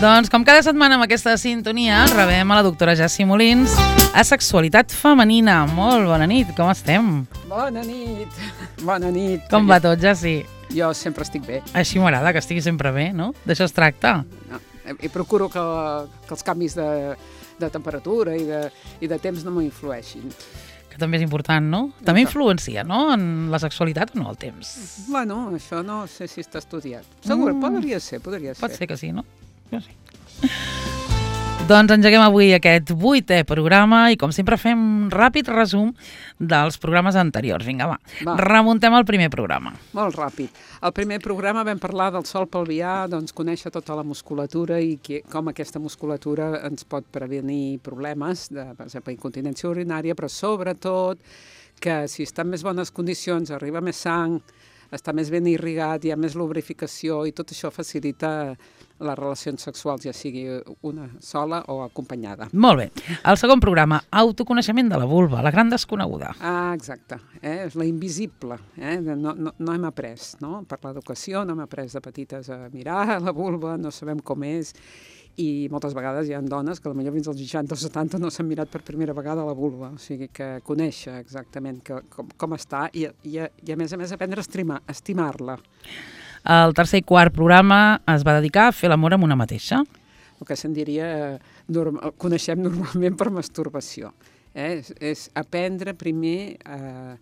Doncs com cada setmana amb aquesta sintonia rebem a la doctora Jessi Molins a Sexualitat Femenina. Molt bona nit, com estem? Bona nit, bona nit. Com va tot, Jessi? Jo sempre estic bé. Així m'agrada, que estigui sempre bé, no? D'això es tracta. No, i procuro que els canvis de temperatura i de temps no m'influeixin. Que també és important, no? També influencia, no?, en la sexualitat o no, el temps? Bueno, això no sé si està estudiat. Segur, podria ser. Pot ser que sí, no? Jo sí. Doncs engeguem avui aquest 8è programa i, com sempre, fem un ràpid resum dels programes anteriors. Vinga, va. Remuntem al primer programa. Molt ràpid. Al primer programa vam parlar del sol pelvià, doncs conèixer tota la musculatura i com aquesta musculatura ens pot prevenir problemes, per exemple, incontinència urinària, però sobretot que si està en més bones condicions, arriba més sang, està més ben irrigat, hi ha més lubrificació i tot això facilita les relacions sexuals, ja sigui una sola o acompanyada. Molt bé. El segon programa, autoconeixement de la vulva, la gran desconeguda. Exacte. És la invisible. No hem après, no? Per l'educació no hem après de petites a mirar la vulva, no sabem com és, i moltes vegades hi ha dones que potser fins als 60 o 70 no s'han mirat per primera vegada la vulva, o sigui que conèixer exactament com està i a més aprendre a estimar-la. El tercer i quart programa es va dedicar a fer l'amor amb una mateixa. El que se'n diria, coneixem normalment per masturbació. És aprendre primer a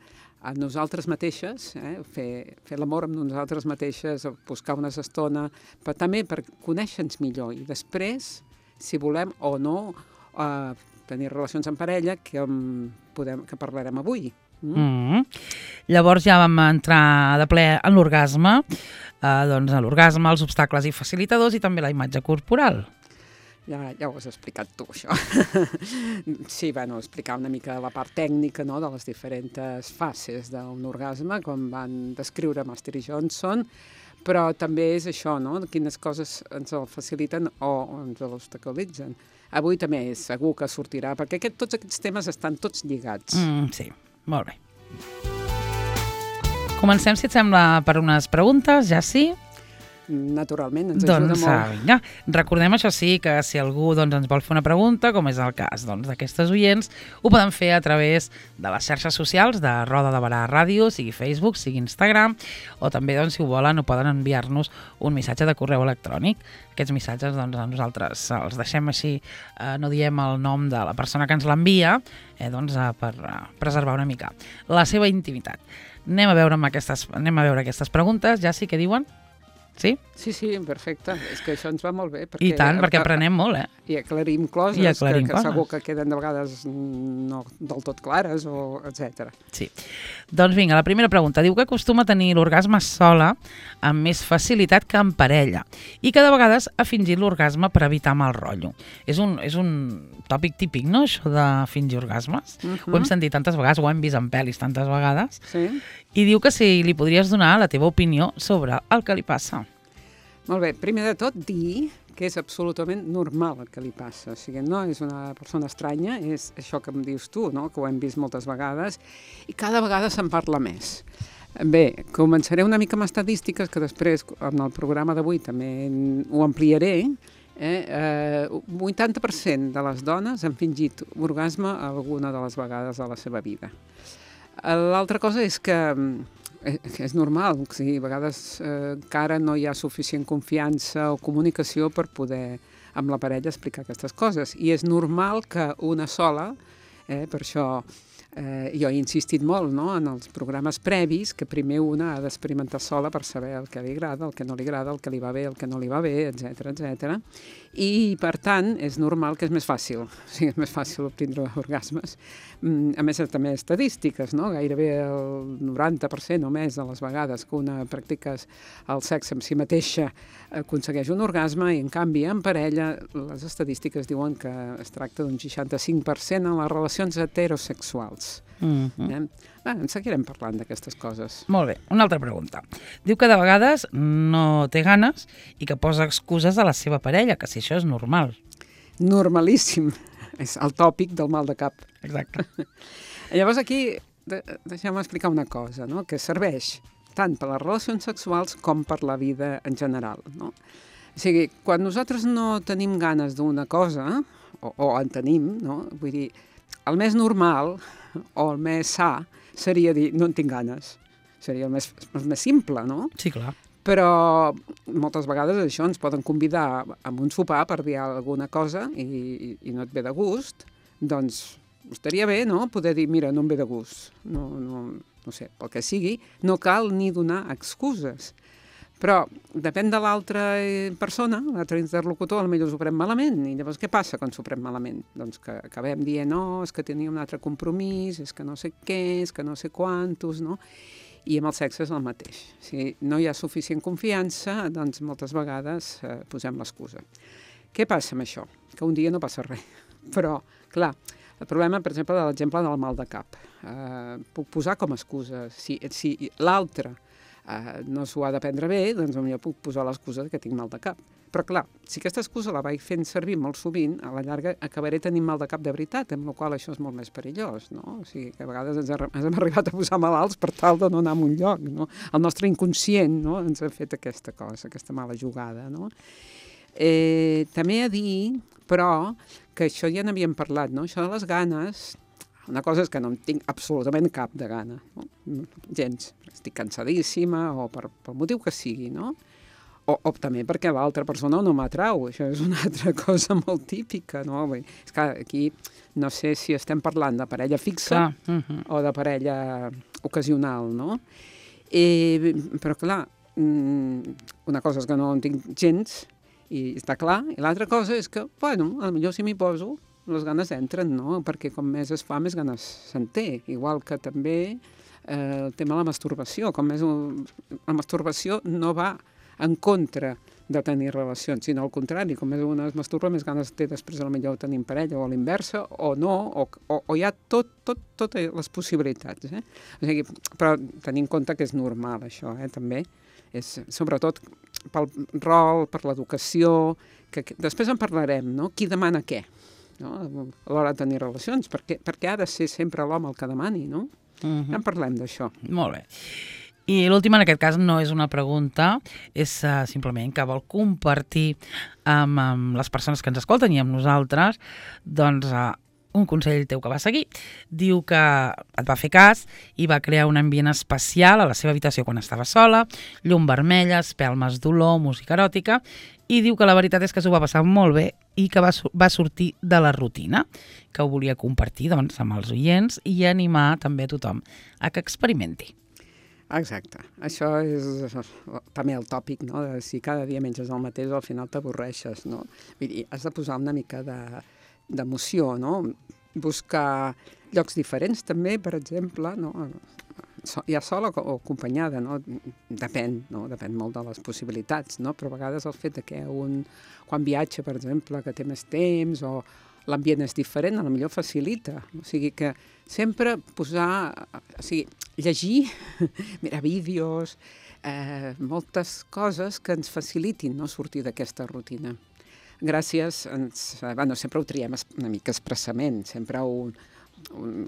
nosaltres mateixes, fer l'amor amb nosaltres mateixes, buscar una estona, però també per conèixer-nos millor i després, si volem o no, tenir relacions en parella, que parlarem avui. Llavors ja vam entrar de ple en l'orgasme, l'orgasme, els obstacles i facilitadors i també la imatge corporal. Ja ho has explicat tu, això. Sí, explicar una mica la part tècnica de les diferents fases d'un orgasme, com van descriure Master i Johnson, però també és això, quines coses ens el faciliten o ens l'obstaculitzen. Avui també segur que sortirà, perquè tots aquests temes estan tots lligats. Sí, molt bé. Comencem, si et sembla, per unes preguntes, ja sí? Naturalment, ens ajuda molt. Vinga. Recordem, això sí, que si algú ens vol fer una pregunta, com és el cas d'aquestes oients, ho poden fer a través de les xarxes socials de Roda de Barà Ràdio, sigui Facebook, sigui Instagram, o també, si ho volen, ho poden enviar-nos un missatge de correu electrònic. Aquests missatges, nosaltres els deixem així, no diem el nom de la persona que ens l'envia, per preservar una mica la seva intimitat. Anem a veure aquestes preguntes, ja sí que diuen? Sí? Sí, perfecte. És que això ens va molt bé. I tant, perquè aprenem molt, I aclarim coses que segur que queden de vegades no del tot clares, etc. Sí. Doncs vinga, la primera pregunta. Diu que acostuma a tenir l'orgasme sola amb més facilitat que en parella i que de vegades ha fingit l'orgasme per evitar mal rotllo. És un tòpic típic, no?, això de fingir orgasmes. Ho hem sentit tantes vegades, ho hem vist en pel·lis tantes vegades. Sí. I diu que si li podries donar la teva opinió sobre el que li passa. Molt bé, primer de tot dir que és absolutament normal el que li passa. O sigui, no és una persona estranya, és això que em dius tu, no?, que ho hem vist moltes vegades, i cada vegada se'n parla més. Bé, començaré una mica amb estadístiques, que després, en el programa d'avui, també ho ampliaré. 80% de les dones han fingit orgasme alguna de les vegades de la seva vida. L'altra cosa és que és normal, a vegades encara no hi ha suficient confiança o comunicació per poder amb la parella explicar aquestes coses. I és normal que una sola, per això jo he insistit molt en els programes previs, que primer una ha d'experimentar sola per saber el que li agrada, el que no li agrada, el que li va bé, el que no li va bé, etc. I, per tant, és normal que és més fàcil. O sigui, és més fàcil obtindre orgasmes. A més, també estadístiques, no? Gairebé el 90% o més de les vegades que una practica el sexe amb si mateixa aconsegueix un orgasme i, en canvi, en parella, les estadístiques diuen que es tracta d'un 65% en les relacions heterosexuals. En seguirem parlant d'aquestes coses. Molt bé, una altra pregunta. Diu que de vegades no té ganes i que posa excuses a la seva parella, que si això és normal. Normalíssim. És el tòpic del mal de cap. Exacte. Llavors aquí, deixeu-me explicar una cosa, no?, que serveix tant per les relacions sexuals com per la vida en general, no? O sigui, quan nosaltres no tenim ganes d'una cosa, o en tenim, no? Vull dir, el més normal o el més sa seria dir no en tinc ganes. Seria el més simple, no? Sí, clar. Però moltes vegades això ens poden convidar a un sopar per dir alguna cosa i no et ve de gust, doncs estaria bé, no?, poder dir, mira, no em ve de gust, no sé, pel que sigui, no cal ni donar excuses. Però depèn de l'altra persona, l'altre interlocutor, potser s'ho pren malament. I llavors què passa quan s'ho pren malament? Doncs que acabem dient, no, és que tenia un altre compromís, és que no sé què, és que no sé quantos, no? I amb el sexe és el mateix. Si no hi ha suficient confiança, doncs moltes vegades posem l'excusa. Què passa amb això? Que un dia no passa res. Però, clar, el problema, per exemple, de l'exemple del mal de cap. Puc posar com a excusa. Si l'altre no s'ho ha de prendre bé, doncs potser puc posar l'excusa que tinc mal de cap. Però clar, si aquesta excusa la vaig fent servir molt sovint, a la llarga acabaré tenint mal de cap de veritat, amb la qual això és molt més perillós, no? O sigui, que a vegades ens hem arribat a posar malalts per tal de no anar a un lloc, no? El nostre inconscient, no?, ens ha fet aquesta cosa, aquesta mala jugada, no? També a dir, però, que això ja n'havíem parlat, no? Això de les ganes, una cosa és que no en tinc absolutament cap de gana, no? Gens. Estic cansadíssima o per motiu que sigui, no? O també perquè l'altra persona no m'atrau. Això és una altra cosa molt típica, no? És que aquí no sé si estem parlant de parella fixa o de parella ocasional, no? Però clar, una cosa és que no en tinc gens, i està clar, i l'altra cosa és que, bueno, potser si m'hi poso, les ganes entren, no? Perquè com més es fa, més ganes se'n té. Igual que també el tema de la masturbació. La masturbació no va en contra de tenir relacions, sinó al contrari, com més una es masturba, més ganes té després potser tenir parella, o a l'inversa, o no, o hi ha totes les possibilitats. O sigui, però tenint en compte que és normal això, també. És, sobretot pel rol, per l'educació, que després en parlarem, no? Qui demana què, no? A l'hora de tenir relacions, perquè ha de ser sempre l'home el que demani, no? Ja en parlem d'això. Molt bé. I l'última, en aquest cas, no és una pregunta, és simplement que vol compartir amb les persones que ens escolten i amb nosaltres, doncs, un consell teu que va seguir. Diu que et va fer cas i va crear un ambient especial a la seva habitació quan estava sola, llum vermella, espelmes d'olor, música eròtica, i diu que la veritat és que s'ho va passar molt bé i que va sortir de la rutina, que ho volia compartir, doncs, amb els oients i animar també a tothom a que experimenti. Exacte. Això és també el tòpic, no? De si cada dia menges el mateix, al final t'avorreixes, no? Vull dir, has de posar una mica d'emoció, no? Buscar llocs diferents també, per exemple, no? Ja sola o acompanyada, no? Depèn, no? Depèn molt de les possibilitats, no? Però a vegades el fet que quan viatja, per exemple, que té més temps o l'ambient és diferent, a lo millor facilita. O sigui que sempre posar, o sigui, llegir, mirar vídeos, moltes coses que ens facilitin, no?, sortir d'aquesta rutina. Gràcies, sempre ho triem una mica expressament, sempre a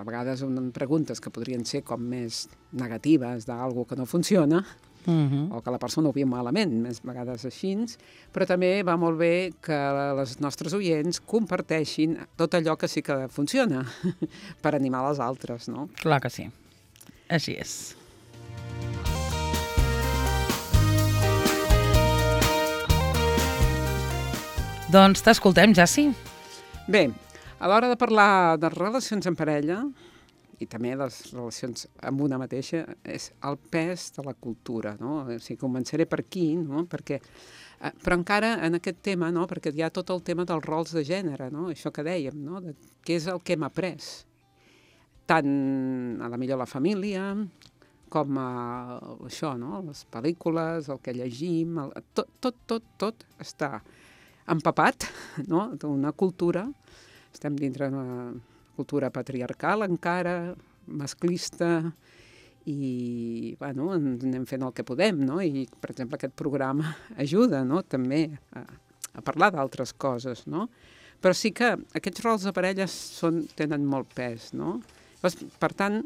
vegades preguntes que podrien ser com més negatives d'alguna que no funciona, o que la persona ho viu malament, més vegades així, però també va molt bé que les nostres oients comparteixin tot allò que sí que funciona per animar les altres, no? Clar que sí. Així és. Doncs t'escoltem, Jaci. Bé, a l'hora de parlar de relacions en parella, i també les relacions amb una mateixa, és el pes de la cultura, no? O sigui, començaré per aquí, no? Però encara en aquest tema, no? Perquè hi ha tot el tema dels rols de gènere, no? Això que dèiem, no? Què és el que hem après? Tant a la millor la família, com això, no? Les pel·lícules, el que llegim, tot està empapat, no? D'una cultura, estem dintre d'una cultura patriarcal encara, masclista, i bueno, anem fent el que podem, no? I, per exemple, aquest programa ajuda, no?, també a parlar d'altres coses, no? Però sí que aquests rols de parelles tenen molt pes, no? Per tant,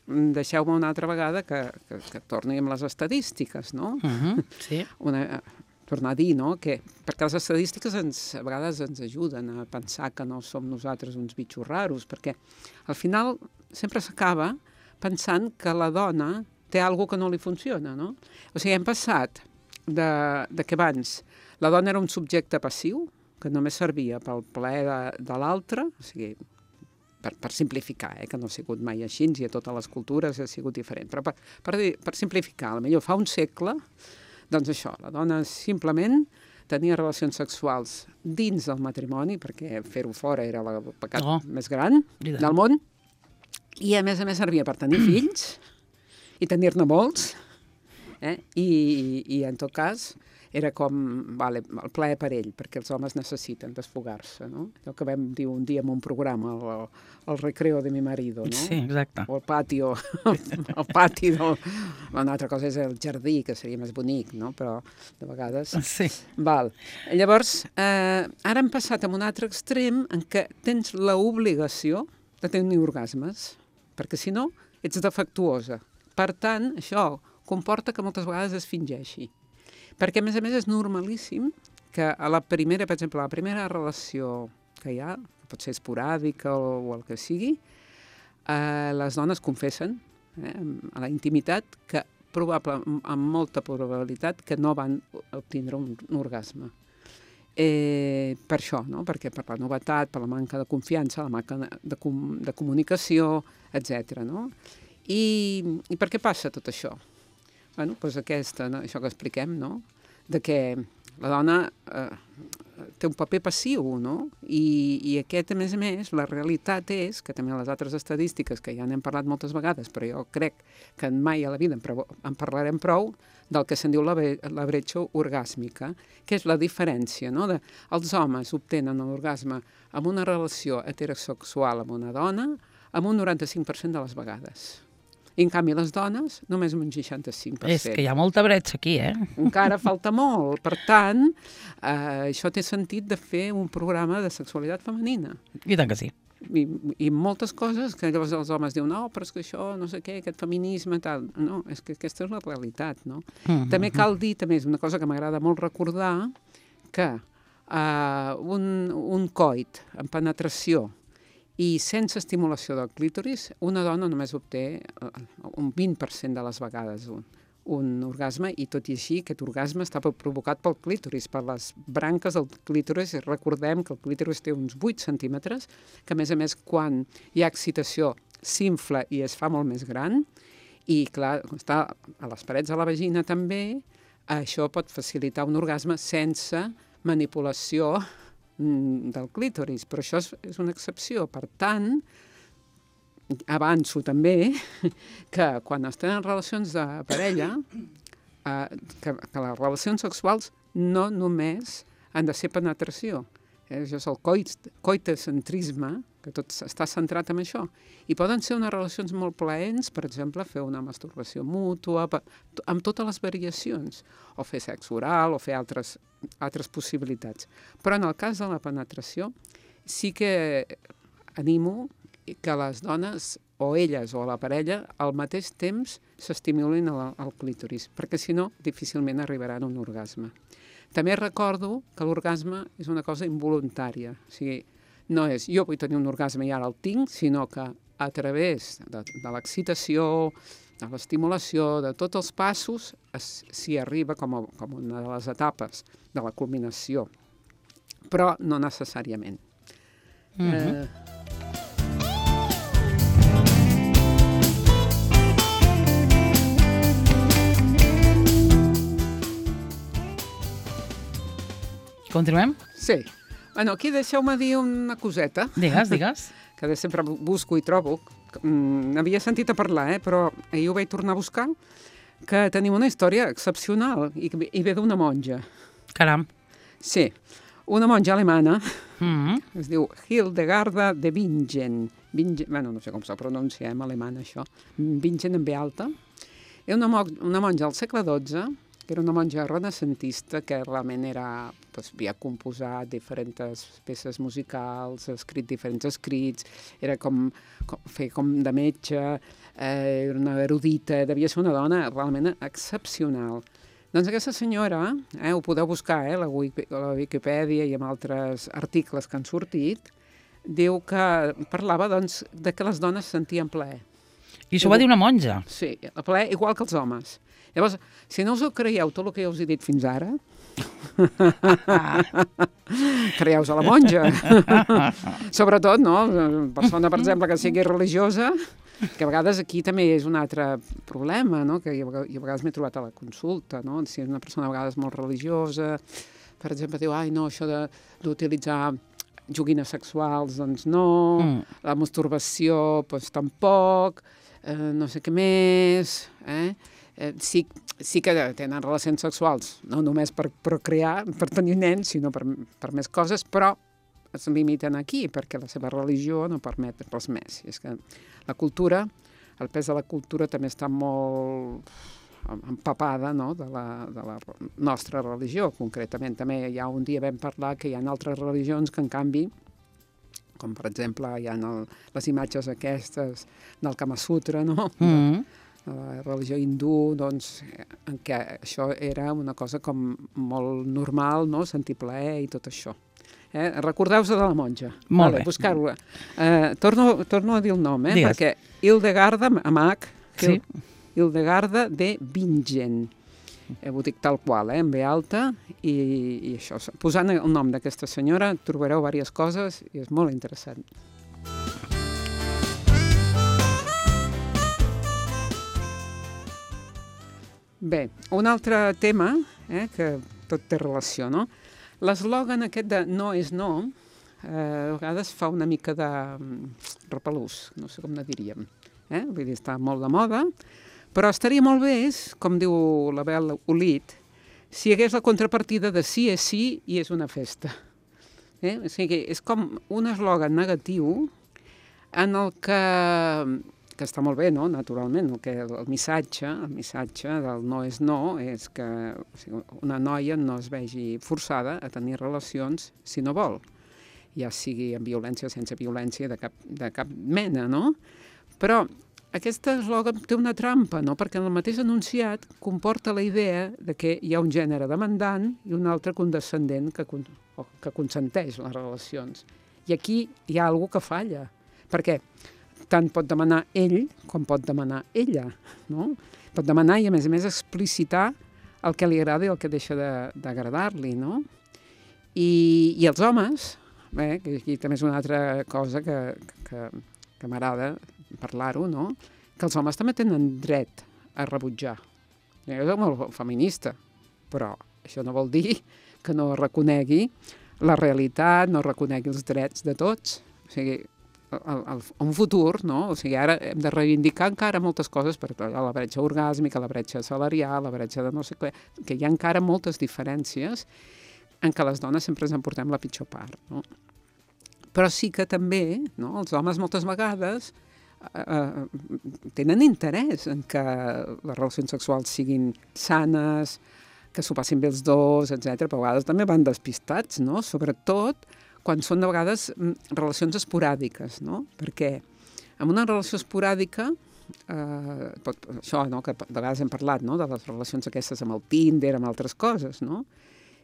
deixeu-me una altra vegada que torni amb les estadístiques, no? Sí. tornar a dir, no? Perquè les estadístiques a vegades ens ajuden a pensar que no som nosaltres uns bitxos raros, perquè al final sempre s'acaba pensant que la dona té alguna que no li funciona, no? O sigui, hem passat de que abans la dona era un subjecte passiu, que només servia pel plaer de l'altre, o sigui, per simplificar, que no ha sigut mai així, i a totes les cultures ha sigut diferent, però per simplificar, potser fa un segle, doncs això, la dona simplement tenia relacions sexuals dins del matrimoni, perquè fer-ho fora era el pecat més gran del món, i a més servia per tenir fills i tenir-ne molts, i en tot cas era com el plaer per ell, perquè els homes necessiten desfogar-se, no? Allò que vam dir un dia en un programa, el recreo de mi marido, no? Sí, exacte. O el pati una altra cosa és el jardí, que seria més bonic, no? Però de vegades... Sí. Llavors, ara hem passat a un altre extrem en què tens l'obligació de tenir orgasmes, perquè si no ets defectuosa. Per tant, això comporta que moltes vegades es fingeixi. Perquè, a més, és normalíssim que a la primera, per exemple, la primera relació que hi ha, que pot ser esporàdica o el que sigui, les dones confessen a la intimitat que amb molta probabilitat que no van obtindre un orgasme. Per això, no? Perquè per la novetat, per la manca de confiança, la manca de comunicació, etc. No? I per què passa tot això? Bueno, doncs això que expliquem, no? De que la dona té un paper passiu, no? I aquest, a més, la realitat és, que també les altres estadístiques, que ja n'hem parlat moltes vegades, però jo crec que mai a la vida en parlarem prou, del que se'n diu la bretxa orgàsmica, que és la diferència, no? Els homes obtenen l'orgasme amb una relació heterosexual amb una dona amb un 95% de les vegades. I, en canvi, les dones, només un 65%. És que hi ha molta bretxa aquí, Encara falta molt. Per tant, això té sentit de fer un programa de sexualitat femenina. I tant que sí. I moltes coses que llavors els homes diuen no, però és que això, no sé què, aquest feminisme, tal. No, és que aquesta és la realitat, no? També cal dir, també és una cosa que m'agrada molt recordar, que un coit en penetració i sense estimulació del clítoris, una dona només obté un 20% de les vegades un orgasme, i tot i així aquest orgasme està provocat pel clítoris, per les branques del clítoris. Recordem que el clítoris té uns 8 centímetres, que a més, quan hi ha excitació, s'infla i es fa molt més gran, i clar, està a les parets de la vagina també, això pot facilitar un orgasme sense manipulació del clítoris, però això és una excepció. Per tant, avanço també que quan es tenen relacions de parella, que les relacions sexuals no només han de ser penetració. Això és el coitocentrisme, que tot està centrat en això. I poden ser unes relacions molt plaents, per exemple, fer una masturbació mútua, amb totes les variacions, o fer sexe oral, o fer altres possibilitats. Però en el cas de la penetració, sí que animo que les dones, o elles o la parella, al mateix temps s'estimulin el clítoris, perquè si no, difícilment arribaran a un orgasme. També recordo que l'orgasme és una cosa involuntària, o sigui, no és jo vull tenir un orgasme i ara el tinc, sinó que a través de l'excitació, de l'estimulació, de tots els passos, s'hi arriba com una de les etapes de la culminació, però no necessàriament. Continuem? Sí. Bueno, aquí deixeu-me dir una coseta. Digues. Que sempre busco i trobo. N'havia sentit a parlar, però ahir ho vaig tornar a buscar, que tenim una història excepcional i ve d'una monja. Caram. Sí, una monja alemana, es diu Hildegarda de Bingen. Bueno, no sé com se pronuncia en alemany, això. Bingen en B alta. És una monja del segle XII, que era una monja renacentista que realment havia composat diferents peces musicals, ha escrit diferents escrits, era com de metge, era una erudita, devia ser una dona realment excepcional. Doncs aquesta senyora, ho podeu buscar a la Wikipedia i amb altres articles que han sortit, diu que parlava doncs, de que les dones sentien plaer. I això ho va dir una monja? Sí, el plaer igual que els homes. Llavors, si no us ho creieu tot el que jo us he dit fins ara, creieu-vos a la monja. Sobretot, no? Una persona, per exemple, que sigui religiosa, que a vegades aquí també és un altre problema, no? Que jo a vegades m'he trobat a la consulta, no? Si és una persona a vegades molt religiosa, per exemple, diu, no, això d'utilitzar joguines sexuals, doncs no, la masturbació, doncs tampoc, no sé què més, sí que tenen relacions sexuals, no només per procrear, per tenir nens, sinó per més coses, però es limiten aquí, perquè la seva religió no permet res més. I és que la cultura, el pes de la cultura també està molt empapada, no?, de la nostra religió, concretament. També ja un dia vam parlar que hi ha altres religions que, en canvi, com per exemple hi ha les imatges aquestes del Kama Sutra, no?, la religió hindú, doncs, en què això era una cosa com molt normal, no?, sentir plaer i tot això. Recordeu-vos de la monja. Molt bé. Buscar-ho. Torno a dir el nom, perquè Hildegarda, amb H, sí. Hildegarda de Bingen. Ho dic tal qual, en B alta, i això. Posant el nom d'aquesta senyora trobareu diverses coses i és molt interessant. Bé, un altre tema, que tot té relació, no? L'eslògan aquest de no és no, a vegades fa una mica de repelús, no sé com ne diríem. Vull dir, està molt de moda, però estaria molt bé, com diu l'Abel Olit, si hi hagués la contrapartida de sí és sí i és una festa. O sigui, és com un eslògan negatiu en el que està molt bé, no?, naturalment, el missatge del no és no és que una noia no es vegi forçada a tenir relacions si no vol, ja sigui amb violència o sense violència de cap mena, no? Però aquest eslògan té una trampa, no?, perquè en el mateix enunciat comporta la idea de que hi ha un gènere demandant i un altre condescendent que consenteix les relacions. I aquí hi ha alguna cosa que falla, perquè tant pot demanar ell com pot demanar ella, no? Pot demanar i, a més explicitar el que li agrada i el que deixa d'agradar-li, no? I els homes, que aquí també és una altra cosa que m'agrada parlar-ho, no?, que els homes també tenen dret a rebutjar. Jo soc molt feminista, però això no vol dir que no reconegui la realitat, no reconegui els drets de tots. O sigui, un futur, no? O sigui, ara hem de reivindicar encara moltes coses, per la bretxa orgàsmica, la bretxa salarial, la bretxa de no sé què, que hi ha encara moltes diferències en què les dones sempre ens en portem la pitjor part, no? Però sí que també, no?, els homes moltes vegades tenen interès en que les relacions sexuals siguin sanes, que s'ho passin bé els dos, etc. Però a vegades també van despistats, no?, sobretot quan són de vegades relacions esporàdiques, no? Perquè en una relació esporàdica, això, no?, que de vegades hem parlat, no?, de les relacions aquestes amb el Tinder, amb altres coses, no?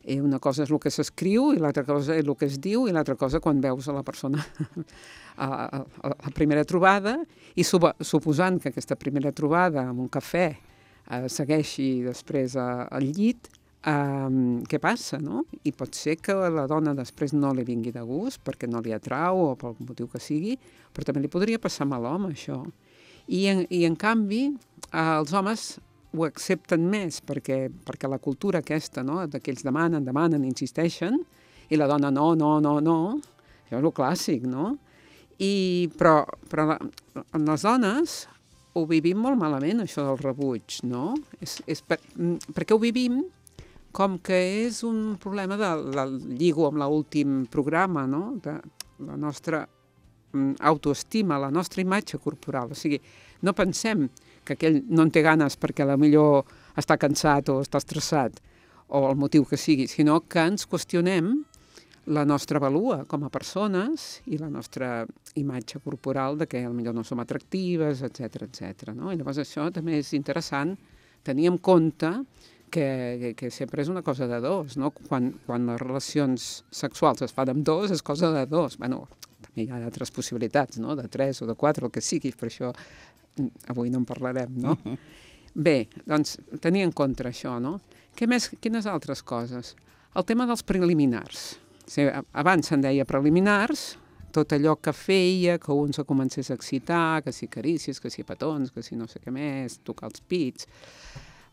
I una cosa és el que s'escriu i l'altra cosa és el que es diu i l'altra cosa quan veus a la persona a la primera trobada i suposant que aquesta primera trobada amb un cafè segueixi després al llit, què passa, no? I pot ser que la dona després no li vingui de gust perquè no li atrau o pel motiu que sigui, però també li podria passar amb l'home, això. I en canvi, els homes ho accepten més perquè la cultura aquesta, no?, que ells demanen, insisteixen, i la dona no, això és el clàssic, no? Però en les dones ho vivim molt malament, això del rebuig, no? Perquè ho vivim com que és un problema lligo amb l'últim programa, no?, de la nostra autoestima, la nostra imatge corporal. O sigui, no pensem que aquell no en té ganes perquè potser està cansat o està estressat o el motiu que sigui, sinó que ens qüestionem la nostra valua com a persones i la nostra imatge corporal de que potser no som atractives, etc. No? I llavors això també és interessant tenir en compte que sempre és una cosa de dos, no? Quan les relacions sexuals es fan amb dos, és cosa de dos. Bueno, també hi ha altres possibilitats, no? De 3 o de 4, el que sigui, per això avui no en parlarem, no? Bé, doncs, tenir en compte això, no? Què més, quines altres coses? El tema dels preliminars. O sigui, abans se'n deia preliminars, tot allò que feia que un se comencés a excitar, que si carícies, que si petons, que si no sé què més, tocar els pits,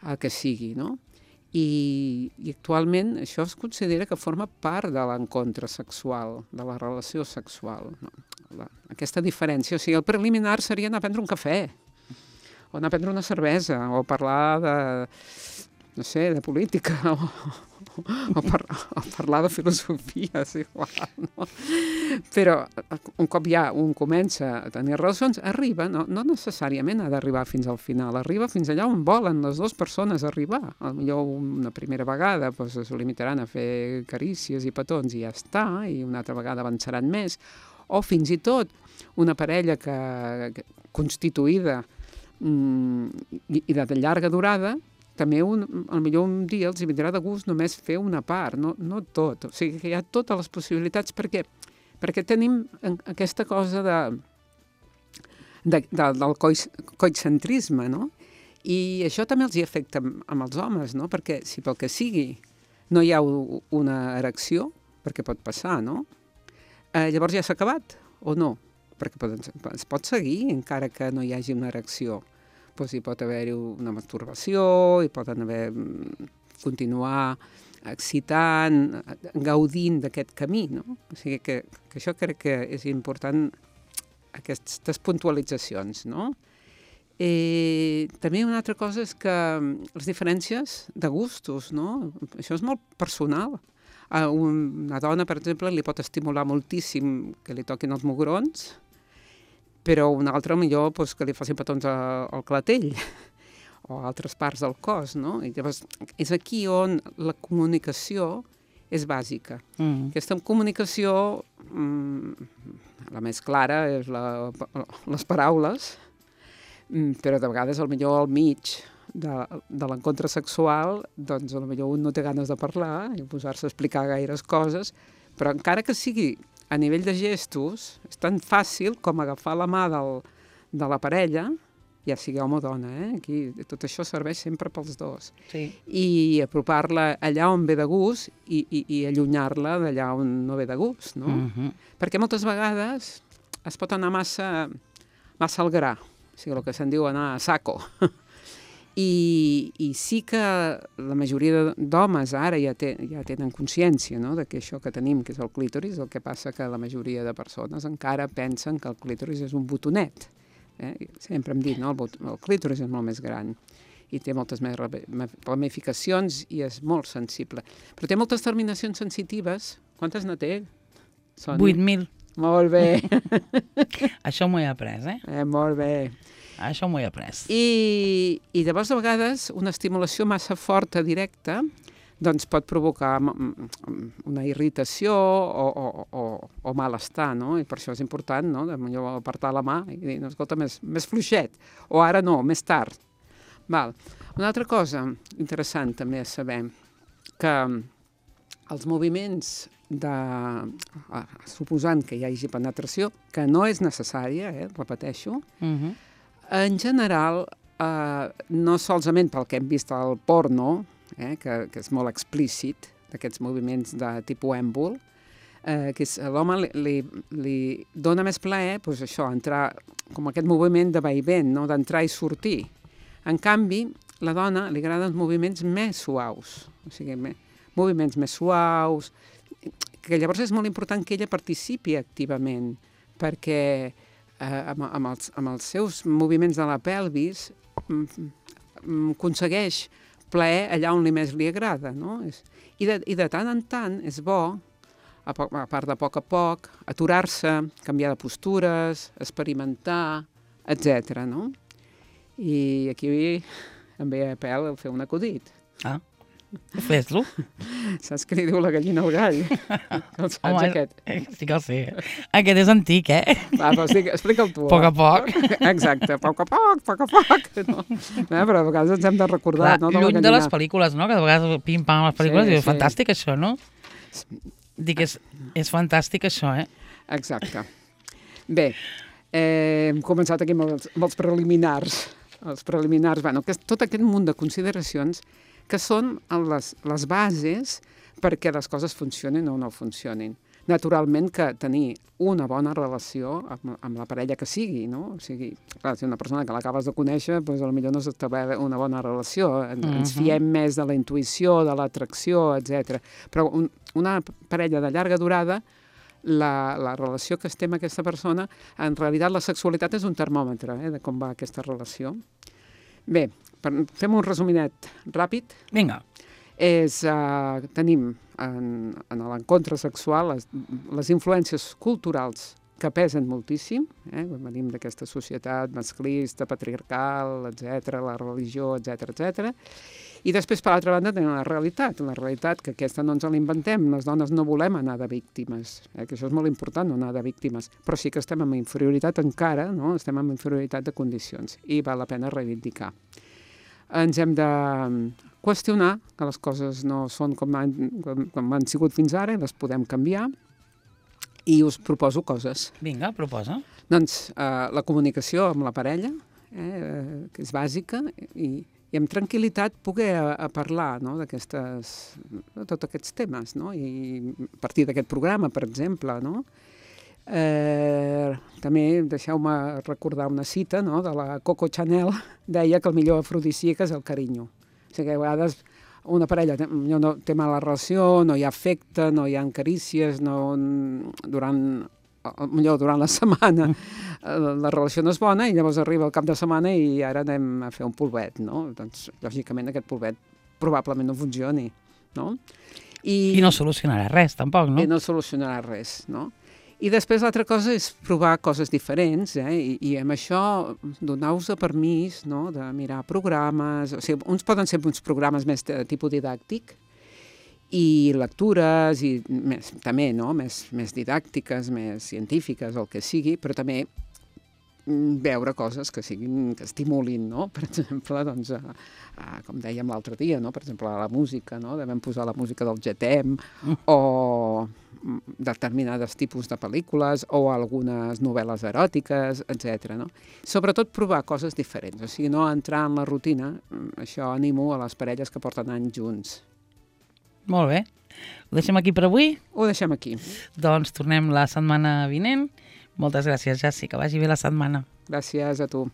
el que sigui, no? I actualment això es considera que forma part de l'encontre sexual, de la relació sexual. No? Aquesta diferència, o sigui, el preliminar seria anar a prendre un cafè, o anar a prendre una cervesa, o parlar de, no sé, de política, o parlar de filosofia, és igual, no? Però un cop ja un comença a tenir relacions, arriba, no necessàriament ha d'arribar fins al final, arriba fins allà on volen les dues persones arribar. Potser una primera vegada doncs, es limitaran a fer carícies i petons i ja està, i una altra vegada avançaran més, o fins i tot una parella constituïda i de llarga durada, també potser un dia els vindrà de gust només fer una part, no tot. O sigui que hi ha totes les possibilitats perquè tenim aquesta cosa del coitcentrisme, no? I això també els hi afecta amb els homes, no? Perquè si pel que sigui no hi ha una erecció, perquè pot passar, no? Llavors ja s'ha acabat, o no? Perquè es pot seguir encara que no hi hagi una erecció. Doncs hi pot haver-hi una masturbació, hi poden haver continuar excitant, gaudint d'aquest camí, no? O sigui que això crec que és important, aquestes puntualitzacions, no? També una altra cosa és que les diferències de gustos, no? Això és molt personal. A una dona, per exemple, li pot estimular moltíssim que li toquin els mugrons, però una altra millor doncs, que li facin petons al clatell o a altres parts del cos, no? I llavors és aquí on la comunicació és bàsica. Aquesta comunicació, la més clara, és les paraules, però de vegades potser al mig de l'encontre sexual, doncs potser un no té ganes de parlar i posar-se a explicar gaires coses, però encara que sigui a nivell de gestos, és tan fàcil com agafar la mà de la parella, ja sigui home o dona, aquí tot això serveix sempre pels dos. Sí. I apropar-la allà on ve de gust i allunyar-la d'allà on no ve de gust, no? Perquè moltes vegades es pot anar massa al gra, o sigui, el que se'n diu anar a saco. I sí que la majoria d'homes ara ja tenen consciència, no?, de que això que tenim, que és el clítoris, el que passa que la majoria de persones encara pensen que el clítoris és un botonet. Sempre hem dit, no?, el clítoris és molt més gran i té moltes més ramificacions i és molt sensible. Però té moltes terminacions sensitives. Quantes ne té, Sònia? 8.000. Molt bé. Això m'ho he après, Molt bé. Això m'ho he après. I llavors, a vegades, una estimulació massa forta, directa, doncs pot provocar una irritació o malestar, no? I per això és important, no?, de millor apartar la mà i dir, no, escolta, més fluixet, o ara no, més tard. Val. Una altra cosa interessant també és saber que els moviments suposant que hi hagi penetració, que no és necessària, repeteixo, en general, no solament pel que hem vist al porno, que és molt explícit, d'aquests moviments de tipus èmbol, que a l'home li dona més plaer, doncs això, entrar com aquest moviment de vaivent, no?, d'entrar i sortir. En canvi, a la dona li agraden moviments més suaus, o sigui, moviments més suaus, que llavors és molt important que ella participi activament, perquè amb els seus moviments de la pelvis aconsegueix plaer allà on més li agrada, no? I de tant en tant és bo, a part de poc a poc, aturar-se, canviar de postures, experimentar, etc., no? I aquí em ve a pèl fer un acudit. Fes-lo. Saps què li diu la gallina al gall? El saps, Home, aquest? sí que el sé. Aquest és antic, Va, però explica'l tu. A poc a poc. Exacte, a poc. No? Però a vegades ens hem de recordar, Clar, no? lluny de les pel·lícules, no? Que de vegades pim-pam les pel·lícules, diu, fantàstic això, no? Dic, és fantàstic això, Exacte. Bé, hem començat aquí amb els preliminars. Els preliminars, bueno, tot aquest munt de consideracions que són les bases perquè les coses funcionin o no funcionin. Naturalment que tenir una bona relació amb la parella que sigui, no? O sigui, clar, si una persona que l'acabes de conèixer, doncs potser no s'estableix una bona relació. Ens fiem més de la intuïció, de l'atracció, etc. Però una parella de llarga durada, la relació que estem amb aquesta persona, en realitat la sexualitat és un termòmetre de com va aquesta relació. Bé, fem un resuminet ràpid. Vinga. Tenim en l'encontre sexual les influències culturals que pesen moltíssim, venim d'aquesta societat masclista, patriarcal, etc., la religió, etc. I després, per l'altra banda, tenim la realitat que aquesta no ens l'inventem, les dones no volem anar de víctimes, que això és molt important, no anar de víctimes, però sí que estem en inferioritat encara, no? Estem en inferioritat de condicions i val la pena reivindicar. Ens hem de qüestionar que les coses no són com han sigut fins ara i les podem canviar, i us proposo coses. Vinga, proposa. Doncs la comunicació amb la parella, que és bàsica, i amb tranquil·litat poder parlar, no, de tots aquests temes, no? I a partir d'aquest programa, per exemple, no? També deixeu-me recordar una cita, no, de la Coco Chanel, deia que el millor afrodisíac és el carinyo. O sigui, a vegades una parella no té mala relació, no hi ha afecte, no hi ha carícies, durant la setmana la relació no és bona i llavors arriba el cap de setmana i ara anem a fer un polvet, no? Doncs, lògicament, aquest polvet probablement no funcioni, no? I no solucionarà res, tampoc, no? I no solucionarà res, no? I després l'altra cosa és provar coses diferents, i amb això donar-vos permís, no?, de mirar programes, o sigui, uns poden ser uns programes més de tipus didàctic i lectures, i també, no?, més didàctiques, més científiques, el que sigui, però també veure coses que estimulin, no? Per exemple, doncs, com dèiem l'altre dia, no? Per exemple, la música, no? Devem posar la música del GTM o determinades tipus de pel·lícules o algunes novel·les eròtiques, etc. No? Sobretot provar coses diferents, o sigui, no entrar en la rutina. Això animo a les parelles que porten anys junts. Molt bé. Ho deixem aquí per avui? Ho deixem aquí. Doncs tornem la setmana vinent. Moltes gràcies, Jessi, que vagi bé la setmana. Gràcies a tu.